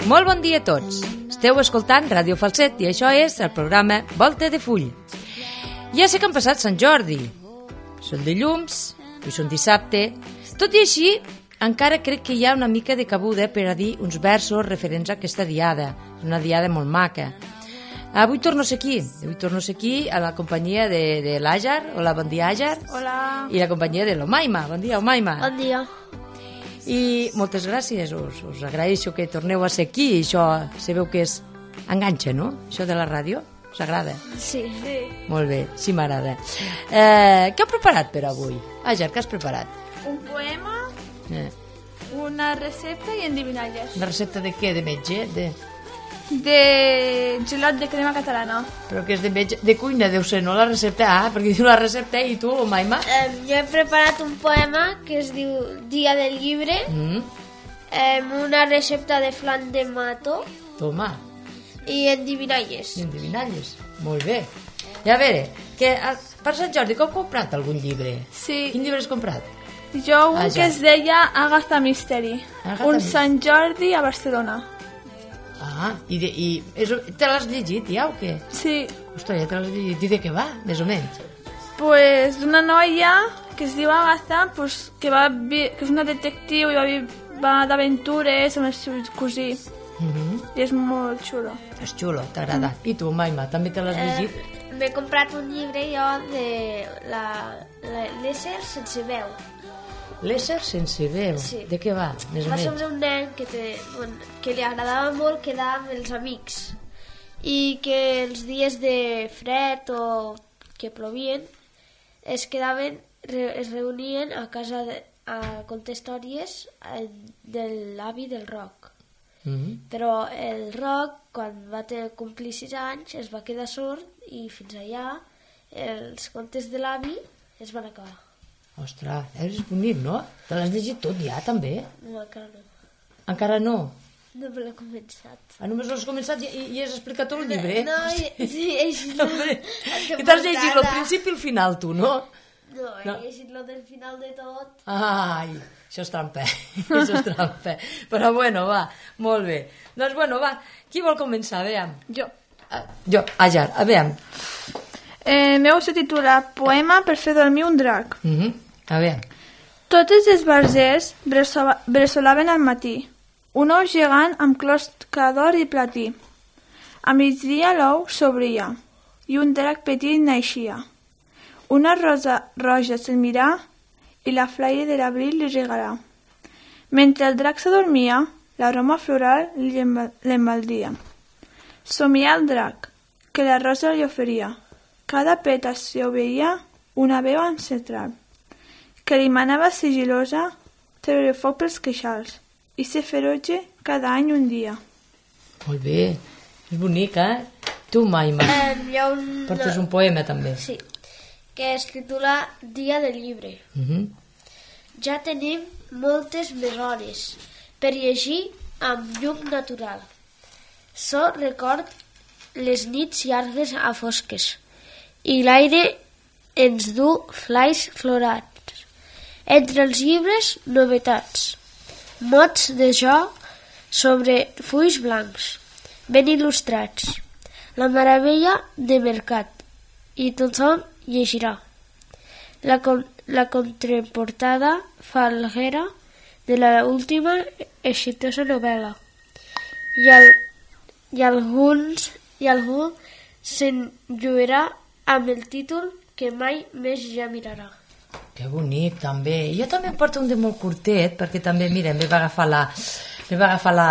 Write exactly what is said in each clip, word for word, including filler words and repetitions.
Molt bon dia a tots. Esteu escoltant Ràdio Falset i això és el programa Volta de Full. Ja sé que han passat Sant Jordi. Són dilluns, i són dissabte. Tot i així, encara crec que hi ha una mica de cabuda per a dir uns versos referents a aquesta diada. És una diada molt maca. Avui torno a ser aquí. Avui torno a ser aquí a la companyia de, de l'Àjar. Hola, bon dia, Àjar. Hola. I la companyia de l'Omaima. Bon dia, Omaima. Bon dia. I moltes gràcies, us, us agraeixo que torneu a ser aquí. Això sabeu que és enganxa, no? Això de la ràdio, us agrada? Sí. sí. Molt bé, sí m'agrada. Eh, què heu preparat per avui? Àger, què has preparat? Un poema, Eh, una recepta i endivinalles. una recepta de què? De metge? De... De gelat de crema catalana. Però que és de metge? De cuina, deu ser, no la recepta? Ah, perquè diu la recepta i tu, Omaima? Eh, jo he preparat un poema que es diu Dia del llibre, Mm, eh, una recepta de flan de mato toma, i endivinalles. i endivinalles. Molt bé. I a veure, que a, per Sant Jordi que heu comprat algun llibre? Sí. Quin llibre has comprat? Jo un Ah, ja. que es deia Agatha Mystery. Agatha un Mystery. Sant Jordi a Barcelona. Ah, i, de, i és, te l'has llegit ja o què? Sí. Ostres, ja te l'has llegit. I de què va, més o menys? Pues d'una noia que es diu Agatha, pues, que, va, vi- que és una detectiu i va, vi- va d'aventures amb el seu cosí. Mm -hmm. I és molt xulo. És xulo, t'agrada. I tu, Maima, també te l'has llegit? Eh, M'he comprat un llibre jo de la, la, l'ésser sense veu. L'ésser sense veu. Sí. De què va, més o Va menys? sobre un nen que, té, bueno, que li agradava molt quedar amb els amics i que els dies de fred o que plovien es quedaven, re, es reunien a casa de, a contar històries eh, de l'avi del Roc. Mm -hmm. Però el Roc, quan va ter, complir sis anys, es va quedar sord i fins allà els contes de l'avi es van acabar. Ostres, és bonic, no? Te l'has llegit tot ja, també? No, encara no. Encara no? No me l'he començat. Ah, només l'has començat i, i has explicat tot el llibre? No, i- sí, he llegit la- Hombre, la que t'has llegit el portada. principi i el final, tu, no? No, he No. llegit lo del final de tot. Ai, això és trampa, això és trampa. Però bueno, va, molt bé. Doncs bueno, va, qui vol començar? A veure. Jo. Ah, jo, Àger, a veure. Eh, meu se titula Poema per fer dormir un drac. Mm -hmm. A veure. Totes les barzers bressola- bressolaven al matí. Un ou gegant amb closca d'or i platí. A migdia l'ou s'obria i un drac petit naixia. Una rosa roja se'l mirà i la flaire de l'abril li regarà. Mentre el drac s'adormia, l'aroma floral li emba- l'embaldia. Somià el drac, que la rosa li oferia. Cada peta s'hi obeïa una veu ancestral, que li manava sigil·losa treure foc pels queixals i ser ferotge cada any un dia. Molt bé, és bonic, eh? Tu, Maima, Eh, hi ha un... portes un poema, també. Sí, que es titula Dia del llibre. Mm -hmm. Ja tenim moltes més hores per llegir amb llum natural. So record les nits llargues a fosques i l'aire ens du flais florats. Entre els llibres, novetats. Mots de jo sobre fulls blancs, ben il·lustrats. La meravella de mercat i tothom llegirà. La, con la contraportada falguera de la última exitosa novel·la. I, el, i, alguns, i algú se'n lluirà amb el títol que mai més ja mirarà. Que bonic, també. Jo també em porto un de molt curtet, perquè també, mira, em va agafar la... em va agafar la...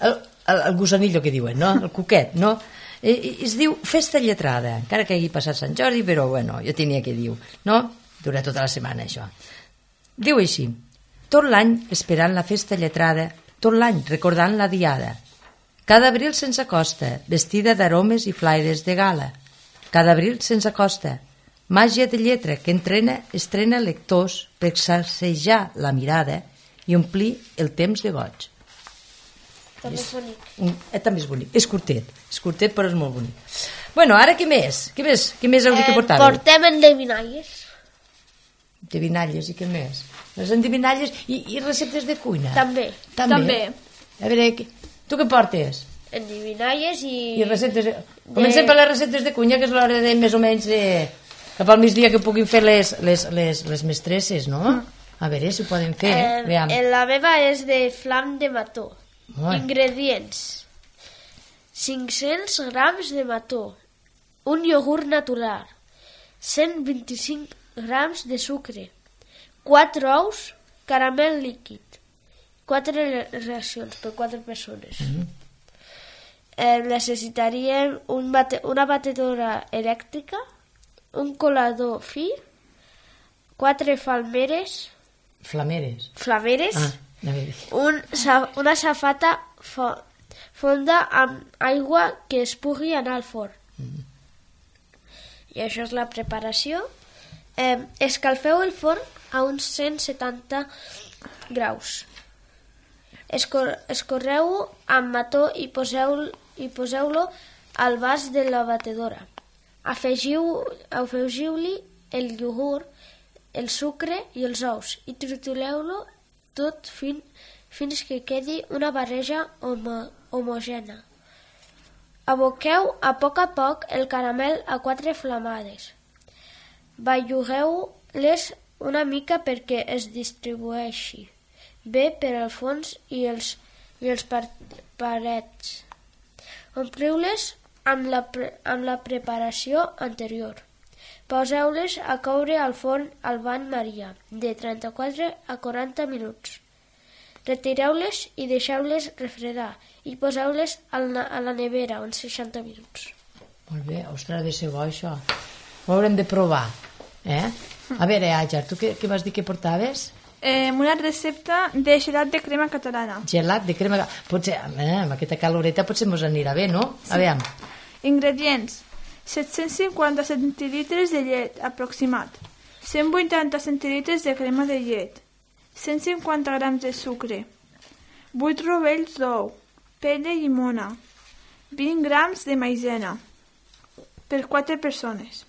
el, el, el gusanillo que diuen, no? El cuquet, no? I, i, es diu Festa Lletrada, encara que hagi passat Sant Jordi, però, bueno, jo tenia que dir, no? Dura tota la setmana, això. Diu així: tot l'any esperant la festa lletrada, tot l'any recordant la diada. Cada abril se'ns acosta, vestida d'aromes i flaires de gala. Cada abril se'ns acosta, màgia de lletra que entrena, estrena lectors per sacsejar la mirada i omplir el temps de goig. També és bonic. Un, eh, també és bonic, és curtet, és curtet però és molt bonic. Bueno, ara què més? Què més, què més heu dit que portàveu? Portem endevinalles. Endevinalles i què més? Les endevinalles i, i receptes de cuina. També. També. També. A veure, què, Tu què portes? Endivinalles i... I receptes... De... Comencem per les receptes de cuina, que és l'hora de més o menys de... cap al migdia que puguin fer les, les, les, les mestresses, no? A veure si ho poden fer. Eh, la meva és de flam de mató. Oi. Ingredients: cinc-cents grams de mató, un iogurt natural, cent vint-i-cinc grams de sucre, quatre ous, caramel líquid, quatre racions per quatre persones. Mm-hmm. Eh, necessitaríem un bate una batedora elèctrica, un colador fi, quatre falmeres, Flameres. flameres, Ah, un, una safata fo fonda amb aigua que es pugui anar al forn. Mm. I això és la preparació. Eh, escalfeu el forn a uns cent setanta graus. Escor escorreu-ho amb mató i poseu-lo i poseu-lo al vas de la batedora. Afegiu-li afegiu el iogurt, el sucre i els ous i tritureu-lo tot fin, fins que quedi una barreja homo homogènia. Aboqueu a poc a poc el caramel a quatre flamades. Bellugueu-les una mica perquè es distribueixi bé per al fons i els, i els parets. Ompliu-les amb, la amb la preparació anterior. Poseu-les a coure al forn al bany Maria de trenta-quatre a quaranta minuts. Retireu-les i deixeu-les refredar i poseu-les a la nevera uns seixanta minuts. Molt bé, ostres, ha de ser bo això. Ho haurem de provar. Eh? A veure, Àger, tu què, què vas dir que portaves? Eh, una recepta de gelat de crema catalana. Gelat de crema... Potser, eh, amb aquesta caloreta potser mos anirà bé, no? Sí. A veure. Ingredients: set-cents cinquanta centilitres de llet aproximat, cent vuitanta centilitres de crema de llet, cent cinquanta grams de sucre, vuit rovells d'ou, pell de llimona, vint grams de maïzena per quatre persones.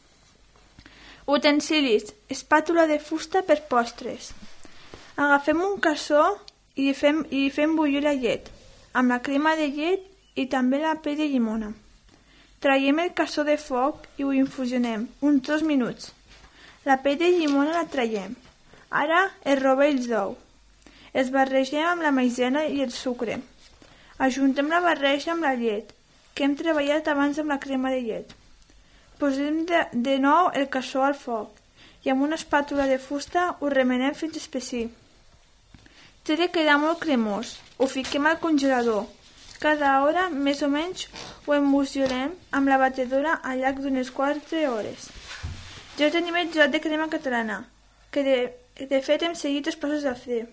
Utensilis: espàtula de fusta per postres. Agafem un cassó i fem, i fem bullir la llet, amb la crema de llet i també la pell de llimona. Traiem el cassó de foc i ho infusionem uns dos minuts. La pell de llimona la traiem. Ara els rovells d'ou. Els barregem amb la maïzena i el sucre. Ajuntem la barreja amb la llet, que hem treballat abans amb la crema de llet. Posem de, de nou el cassó al foc i amb una espàtula de fusta ho remenem fins espessir. Té de quedar molt cremós. Ho fiquem al congelador. Cada hora, més o menys, ho emulsionem amb la batedora al llarg d'unes quatre hores. Ja tenim el gelat de crema catalana, que de, de fet hem seguit els passos a fer.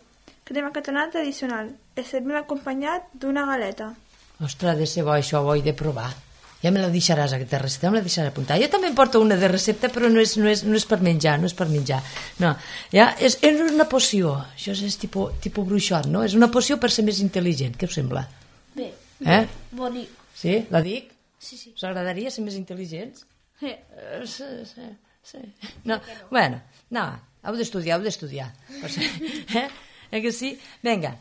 Crema catalana tradicional. El servim acompanyat d'una galeta. Ostres, ha de ser bo això, ho he de provar. Ja me la deixaràs, aquesta recepta, me la deixaràs apuntar. Jo també em porto una de recepta, però no és, no és, no és per menjar, no és per menjar. No, ja, és, és una poció, això és tipus, tipus bruixot, no? És una poció per ser més intel·ligent, què us sembla? Bé, eh? bonic. Sí, la dic? Sí, sí. Us agradaria ser més intel·ligents? Sí. Uh, sí, sí, sí. No, bueno, no, heu d'estudiar, heu d'estudiar. Eh? Eh que sí? Vinga,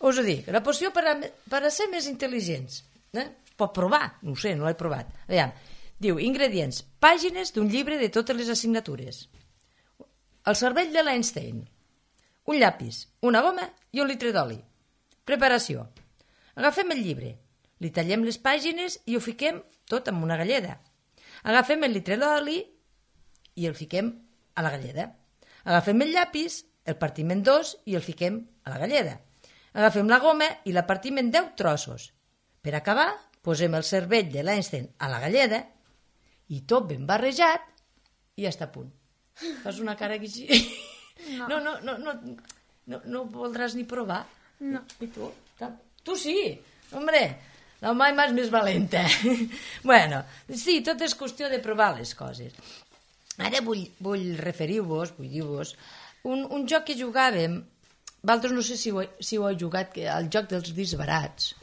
us ho dic, la poció per a, per a ser més intel·ligents, eh? Pot provar, no ho sé, no l'he provat. Aviam. Diu, ingredients, pàgines d'un llibre de totes les assignatures, el cervell de l'Einstein, un llapis, una goma i un litre d'oli. Preparació. Agafem el llibre, li tallem les pàgines i ho fiquem tot amb una galleda. Agafem el litre d'oli i el fiquem a la galleda. Agafem el llapis, el partim en dos i el fiquem a la galleda. Agafem la goma i la partim en deu trossos. Per acabar, posem el cervell de l'Einstein a la galleda i tot ben barrejat i ja està a punt. Fas una cara que així... No, no, no, no, no, no, no voldràs ni provar? No. I tu? Tu sí, hombre, la mai més més valenta. Bueno, sí, tot és qüestió de provar les coses. Ara vull, vull referir-vos, vull dir-vos, un, un joc que jugàvem, vosaltres no sé si ho, si ho heu jugat, el joc dels disbarats.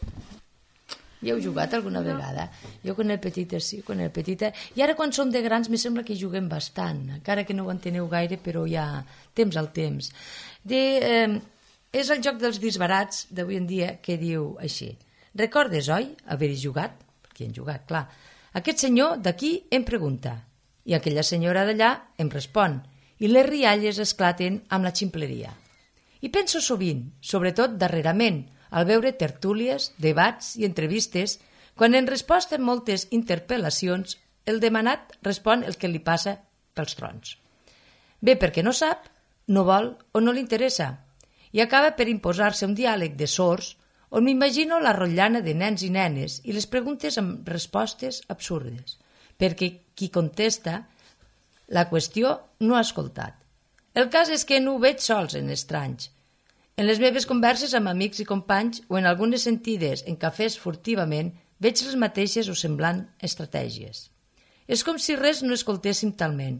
Hi heu jugat alguna no. vegada? Jo quan era petita sí, quan era petita. I ara quan som de grans me sembla que juguem bastant, encara que no ho enteneu gaire, però ja temps al temps. De, eh, és el joc dels disbarats d'avui en dia que diu així. Recordes, oi, haver-hi jugat? Perquè hi hem jugat, clar. Aquest senyor d'aquí em pregunta i aquella senyora d'allà em respon i les rialles esclaten amb la ximpleria. I penso sovint, sobretot darrerament, al veure tertúlies, debats i entrevistes, quan en resposta a moltes interpel·lacions el demanat respon el que li passa pels trons. Bé perquè no sap, no vol o no li interessa, i acaba per imposar-se un diàleg de sords on m'imagino la rotllana de nens i nenes i les preguntes amb respostes absurdes, perquè qui contesta la qüestió no ha escoltat. El cas és que no ho veig sols en estranys. En les meves converses amb amics i companys o en algunes sentides en cafès furtivament veig les mateixes o semblant estratègies. És com si res no escoltéssim talment.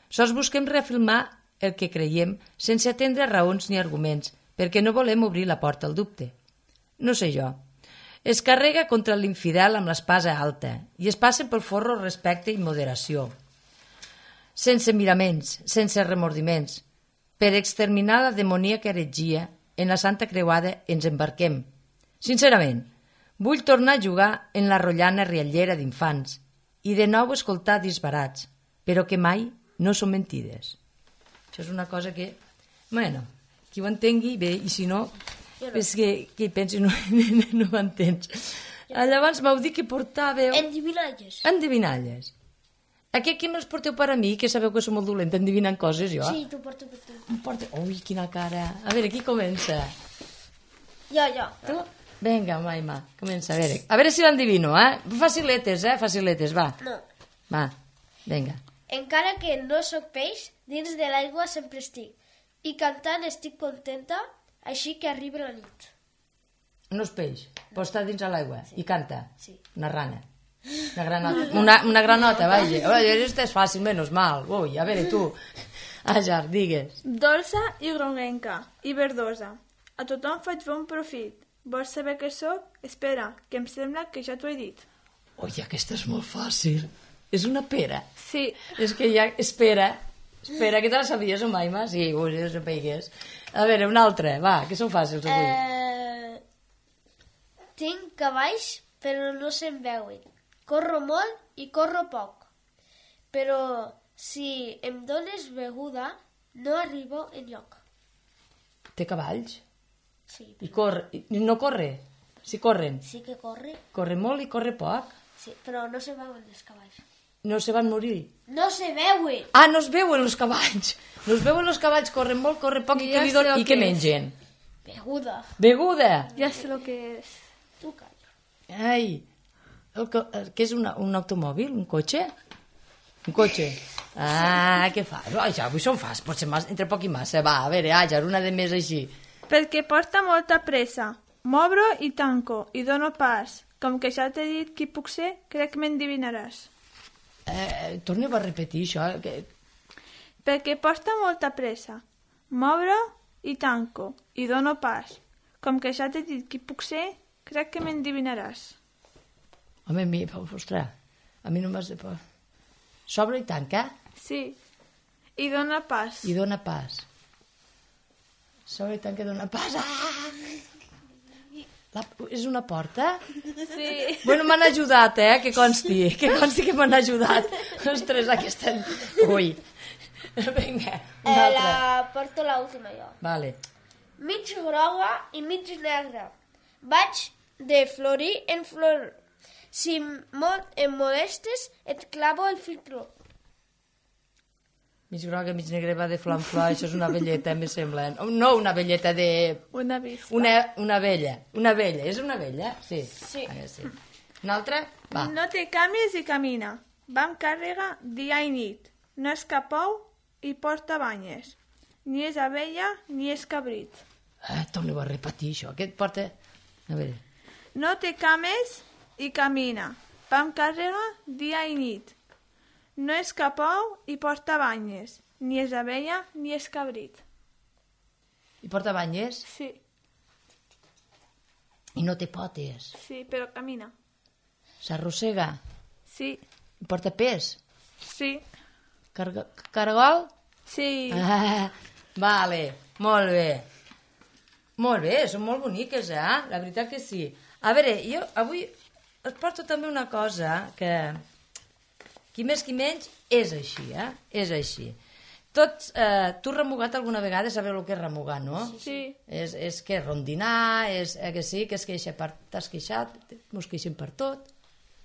Sols busquem reafirmar el que creiem sense atendre raons ni arguments perquè no volem obrir la porta al dubte. No sé jo. Es carrega contra l'infidel amb l'espasa alta i es passa pel forro respecte i moderació. Sense miraments, sense remordiments. Per exterminar la demoníaca heretgia, en la Santa Creuada ens embarquem. Sincerament, vull tornar a jugar en la rotllana riallera d'infants i de nou escoltar disbarats, però que mai no són mentides. Això és una cosa que, bueno, qui ho entengui bé, i si no, no. és que, que hi pensi no, no ho entens. Llavors m'heu dit que portàveu... Endivinalles. Endivinalles. Aquest que me'ls porteu per a mi, que sabeu que som molt dolenta endivinant coses, jo? Sí, t'ho porto per tu. Em porta... Ui, quina cara. A veure, qui comença? Jo, jo. Tu? Vinga, Maima, comença. A veure, a veure si l'endivino, eh? Faciletes, eh? Faciletes, va. No. Va, vinga. Encara que no sóc peix, dins de l'aigua sempre estic. I cantant estic contenta, així que arriba la nit. No és peix, però està dins de l'aigua Sí. i canta. Sí. Una rana. Una granota. Una, una granota, vaja. Això és fàcil, menys mal. Ui, a veure, tu. Ajar, digues. Dolça i groguenca, i verdosa. A tothom faig bon profit. Vols saber què sóc? Espera, que em sembla que ja t'ho he dit. Ui, aquesta és molt fàcil. És una pera. Sí, És que ja... Espera. Espera, que te la sabies, o Maima? Sí, ui, no sabies. A veure, una altra, va, que són fàcils avui. Eh... Tinc cavalls, però no se'n veuen. Corro molt i corro poc. Però si em dones beguda, no arribo enlloc. Té cavalls? Sí, I corre... I no corre? Si corren. sí que corre, Corre molt i corre poc. sí, però no se veuen els cavalls. No se van morir. No se veuen! Ah, no es veuen els cavalls. No es veuen els cavalls, corren molt, corren poc i, Ja què li sé donen? el I què que és. mengen? Beguda. Beguda. ja sé el que és. Tu calla. Ai, el que, el, què és una, un automòbil? Un cotxe? Un cotxe. Ah, què fas? Ai, ja, avui són fàcils, potser mas, entre poc i massa. Va, a veure, Àger, una de més així. Perquè porta molta pressa. M'obro i tanco, i dono pas. Com que ja t'he dit qui puc ser, crec que m'endivinaràs. Eh, torneu a repetir això. Que... Perquè porta molta pressa. M'obro i tanco, i dono pas. Com que ja t'he dit qui puc ser, crec que m'endivinaràs. Home, a mi, ostres, a mi no m'has de... S'obre i tanca Sí, i dona pas. i dona pas. S'obre i tanca i dona pas. Ah! La, és una porta? Sí. Bueno, m'han ajudat, eh, que consti, que consti que m'han ajudat. Ostres, aquesta... Ui. Vinga, una Eh, altra. la porto l'última jo. Vale. Mig groga i mig negra. Vaig de florir en flor. Si molt em molestes, et clavo el filtró. Mig groga, mig negra, va de flor en flor, això és una velleta, em sembla. No una velleta de... Una vista. Una, una vella. Una vella, és una vella? Sí. Sí. Ah, sí. Una altra? Va. No te canvies i camina. Va amb càrrega dia i nit. No és cap ou i porta banyes. Ni és abella ni és cabrit. Ah, torneu a repetir això. Què et porta? A veure. No te cames i camina. Va amb càrrega dia i nit. No és cap ou i porta banyes. Ni és abella ni és cabrit. I porta banyes? Sí, I no té potes. sí, però camina. S'arrossega. Sí, I porta pes. sí, Carga... Caragol? sí. Ah, vale, molt bé. Molt bé, són molt boniques, eh? La veritat que sí. A veure, jo avui us porto també una cosa que, qui més qui menys, és així, eh? És així. Tots, eh, tu has remugat alguna vegada, sabeu el que és remugar, no? Sí. És, és que rondinar, és eh, que sí, que es queixa per... T'has queixat, mos queixem per tot.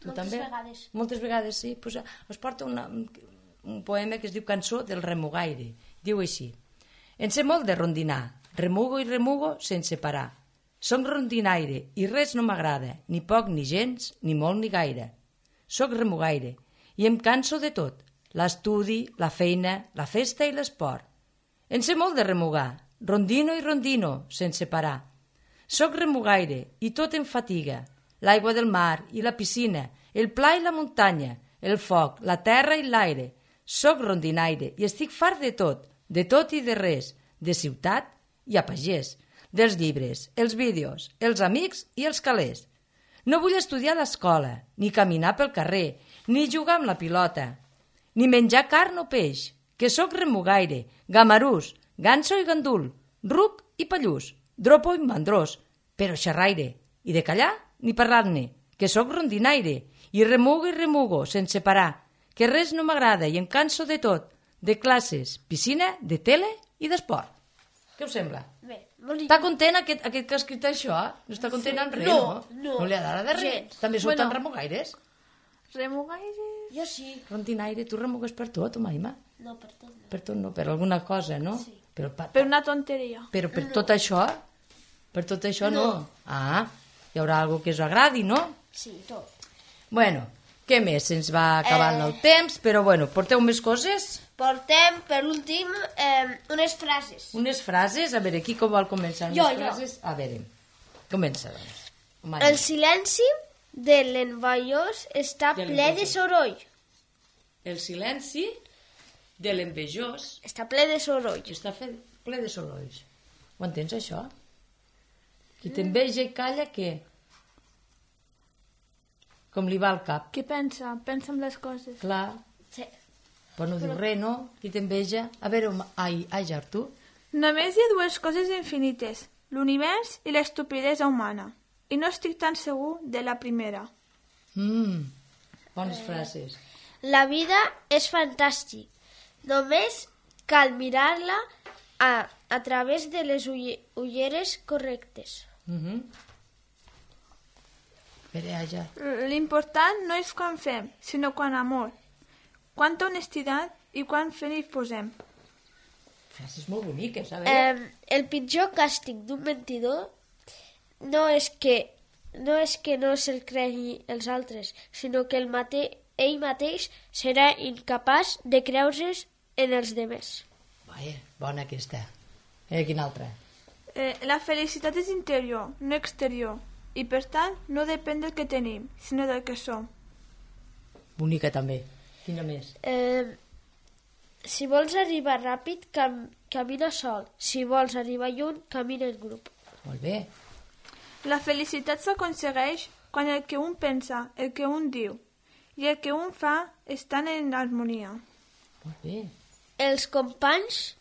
Tu Moltes també? vegades. Moltes vegades, sí. Pues, eh, us porto una, un poema que es diu Cançó del remugaire. Diu així. En sé molt de rondinar, remugo i remugo sense parar. Soc rondinaire i res no m'agrada, ni poc ni gens, ni molt ni gaire. Soc remugaire i em canso de tot. L'estudi, la feina, la festa i l'esport. En sé molt de remugar, rondino i rondino, sense parar. Soc remugaire i tot em fatiga. L'aigua del mar i la piscina, el pla i la muntanya, el foc, la terra i l'aire. Soc rondinaire i estic fart de tot, de tot i de res, de ciutat i a pagès, dels llibres, els vídeos, els amics i els calés. No vull estudiar a l'escola, ni caminar pel carrer, ni jugar amb la pilota, ni menjar carn o peix, que sóc remugaire, gamarús, ganso i gandul, ruc i pallús, dropo i mandrós, però xerraire, i de callar ni parlar-ne, que sóc rondinaire, i remugo i remugo sense parar, que res no m'agrada i em canso de tot, de classes, piscina, de tele i d'esport. Què us sembla? Bé, bonic. Està content aquest, aquest que ha escrit això? No està content amb res, No, no? no. No li agrada de res? Gens. També sou Bueno. tan remugaires? Remugaire... Jo sí. Rondinaire, tu remugues per tot, Maima? No, per tot no. Per tot no, per alguna cosa, no? Sí. Però, pa, Per una tonteria. però per tot això? Per tot això no. Ah, hi haurà alguna que us agradi, no? Sí, tot. Bueno, què més? Se'ns va acabant Eh. el temps, però bueno, porteu més coses? Portem, per últim, eh, unes frases. Unes frases? A veure, qui com vol començar? Unes Jo, jo. frases? A veure, comença, doncs. Maima. El silenci de l'envaiós està De ple de l'envejós. soroll. El silenci de l'envejós Està ple de soroll. està fet ple de sorolls. Ho entens, això? Qui t'enveja i calla, què? Com li va al cap. Què pensa? Pensa en les coses. Clar, Sí. però no diu res, no? Qui t'enveja? A veure, home, ai, ai, Artur. Només hi ha dues coses infinites, l'univers i l'estupidesa humana. I no estic tan segur de la primera. Mm, bones frases. La vida és fantàstic. Només cal mirar-la a, a través de les ulle, ulleres correctes. Mm -hmm. A veure, ai, ja. L'important no és quan fem, sinó quan amor. Quanta honestitat i quan fent hi posem. Frases molt boniques, a veure. Eh, el pitjor càstig d'un mentidor no és que no és que no se'l cregui els altres, sinó que el mate, ell mateix serà incapaç de creure's en els demés. Vaja, bona aquesta. Eh, quina altra? Eh, la felicitat és interior, no exterior. I per tant, no depèn del que tenim, sinó del que som. Bonica també. Quina més? Eh, si vols arribar ràpid, cam, camina sol. Si vols arribar lluny, camina en grup. Molt bé. La felicitat s'aconsegueix quan el que un pensa, el que un diu i el que un fa estan en harmonia. Molt bé. Els companys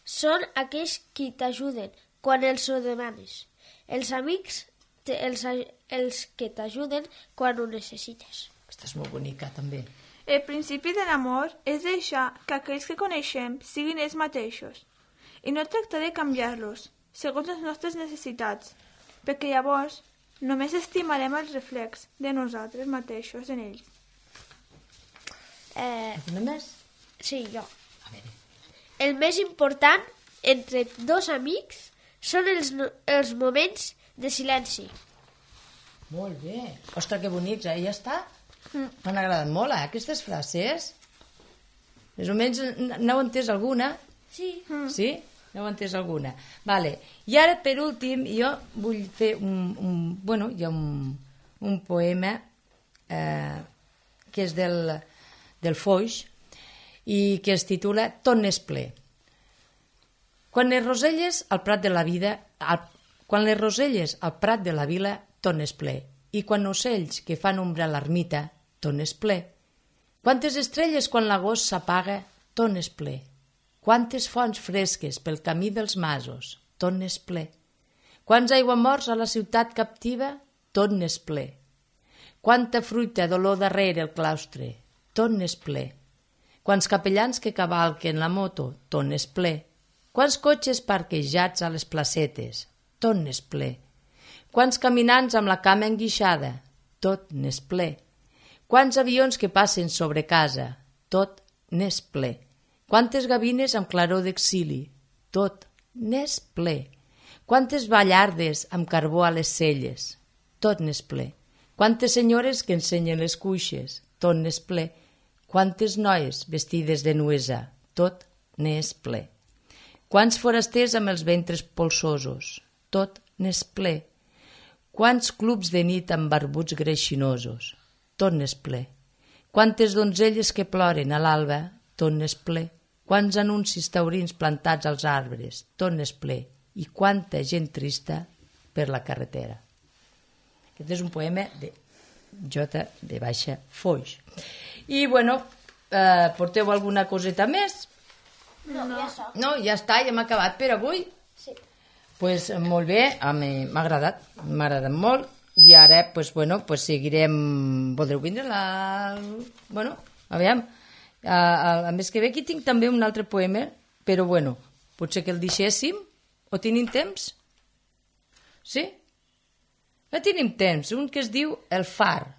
són aquells qui t'ajuden quan els ho demanes. Els amics, te, els, a- els que t'ajuden quan ho necessites. Aquesta és molt bonica, també. El principi de l'amor és deixar que aquells que coneixem siguin ells mateixos i no tractar de canviar-los segons les nostres necessitats, perquè llavors només estimarem el reflex de nosaltres mateixos en ells. Eh, Quina més? sí, jo. A veure. El més important entre dos amics són els, no- els moments de silenci. Molt bé. Ostres, que bonics, eh? Ja està? M'han agradat molt, eh, aquestes frases. Més o menys n- n'heu entès alguna? Sí. Sí? N'heu entès alguna? Vale. I ara, per últim, jo vull fer un... un bueno, hi ha un, un poema eh, que és del, del Foix i que es titula Tot n'és ple. Quan les roselles al prat de la vida, al, quan les roselles al prat de la vila, tot n'és ple. I quan ocells que fan ombra a l'ermita, tot n'és ple. Quantes estrelles quan l'agost s'apaga, tot n'és ple. Quantes fonts fresques pel camí dels masos, tot n'és ple. Quants aiguamorts a la ciutat captiva, tot n'és ple. Quanta fruita d'olor darrere el claustre, tot n'és ple. Quants capellans que cavalquen la moto, tot n'és ple. Quants cotxes parquejats a les placetes, tot n'és ple. Quants caminants amb la cama enguixada, tot n'és ple. Quants avions que passen sobre casa, tot n'és ple. Quantes gavines amb claror d'exili, tot n'és ple. Quantes ballardes amb carbó a les celles, tot n'és ple. Quantes senyores que ensenyen les cuixes, tot n'és ple. Quantes noies vestides de nuesa, tot n'és ple. Quants forasters amb els ventres polsosos, tot n'és ple. Quants clubs de nit amb barbuts greixinosos, tot n'és ple. Quantes donzelles que ploren a l'alba, tot n'és ple. Quants anuncis taurins plantats als arbres, tot n'és ple. I quanta gent trista per la carretera. Aquest és un poema de J. de Baixa Foix. I, bueno, eh, porteu alguna coseta més? No, no, ja està. No, ja està, ja hem acabat per avui. Sí. Pues molt bé, a mi m'ha agradat, m'ha agradat molt. I ara, pues, bueno, pues seguirem... Voldreu vindre la... Bueno, aviam. A, a, a més que ve, aquí tinc també un altre poema, però, bueno, potser que el deixéssim. O tenim temps? Sí? Ja tenim temps. Un que es diu El far.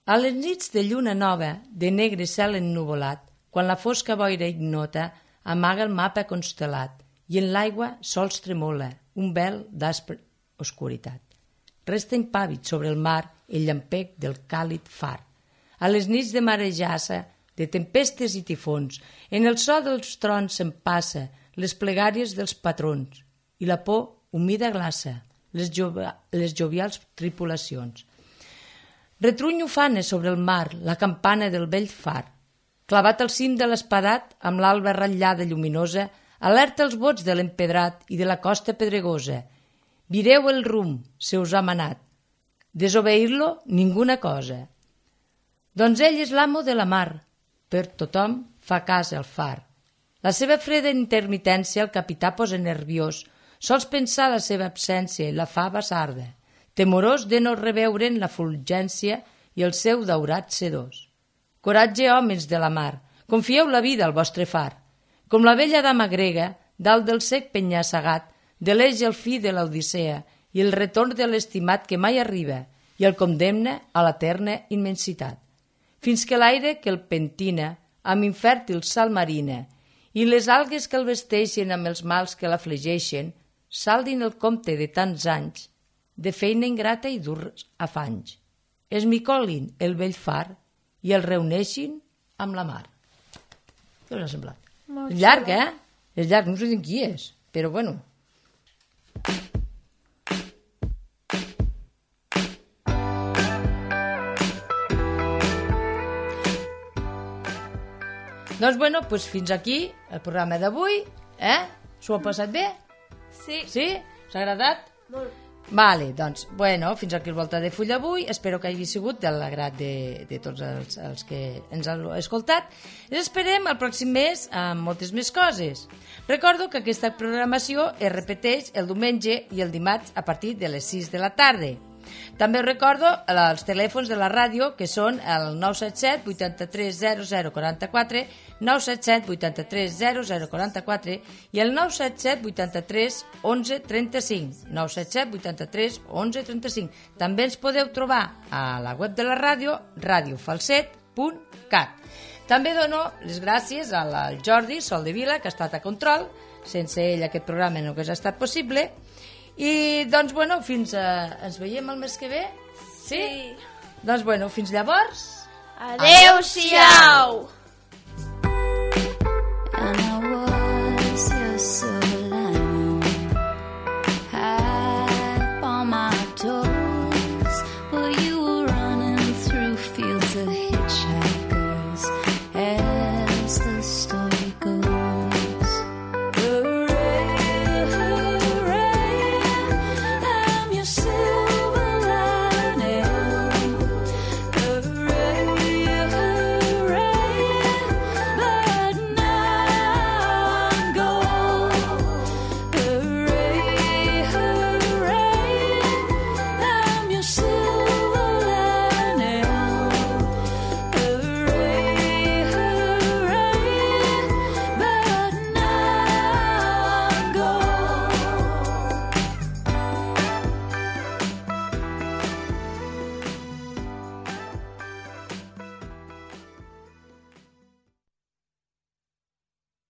A les nits de lluna nova, de negre cel ennuvolat, quan la fosca boira ignota amaga el mapa constel·lat i en l'aigua sols tremola un vel d'aspre oscuritat. Resta impàvid sobre el mar el llampec del càlid far. A les nits de marejassa, de tempestes i tifons, en el so dels trons se'n passa les plegàries dels patrons i la por humida glaça les, jove, les jovials tripulacions. Retruny ufana sobre el mar la campana del vell far. Clavat al cim de l'espadat, amb l'alba ratllada lluminosa, alerta els bots de l'empedrat i de la costa pedregosa. Vireu el rumb, se us ha manat. Desobeir-lo, ninguna cosa. Doncs ell és l'amo de la mar. Per tothom fa cas el far. La seva freda intermitència el capità posa nerviós. Sols pensar la seva absència i la fa basarda, temorós de no reveure'n la fulgència i el seu daurat sedós. Coratge, homes de la mar, confieu la vida al vostre far. Com la vella dama grega, dalt del sec penyassegat, deleix el fi de l'Odissea i el retorn de l'estimat que mai arriba i el condemna a l'eterna immensitat. Fins que l'aire que el pentina amb infèrtil sal marina i les algues que el vesteixen amb els mals que l'afligeixen saldin el compte de tants anys de feina ingrata i durs afanys. Esmicolin el vell far i el reuneixin amb la mar. Què us ha semblat? Molt És llarg, eh? És llarg, no sé de qui és, però bueno. Doncs, bueno, pues fins aquí el programa d'avui, eh? S'ho ha passat bé? Sí. Sí? Us ha agradat? Molt. Vale, doncs, bueno, fins aquí el Volta de Full d'avui. Espero que hagi sigut de l'agrat de, de tots els, els que ens han escoltat. Ens esperem el pròxim mes amb moltes més coses. Recordo que aquesta programació es repeteix el diumenge i el dimarts a partir de les sis de la tarda. També us recordo els telèfons de la ràdio, que són el nou set set vuitanta-tres zero zero quaranta-quatre, nou set set vuitanta-tres zero zero quaranta-quatre i el nou set set vuitanta-tres onze trenta-cinc, nou set set vuitanta-tres onze trenta-cinc. També ens podeu trobar a la web de la ràdio, radiofalset punt cat. També dono les gràcies al Jordi Soldevila, que ha estat a control. Sense ell aquest programa no hagués estat possible. I, doncs, bueno, fins a... Ens veiem el mes que ve? Sí? Sí. Doncs, bueno, fins llavors... Adéu-siau!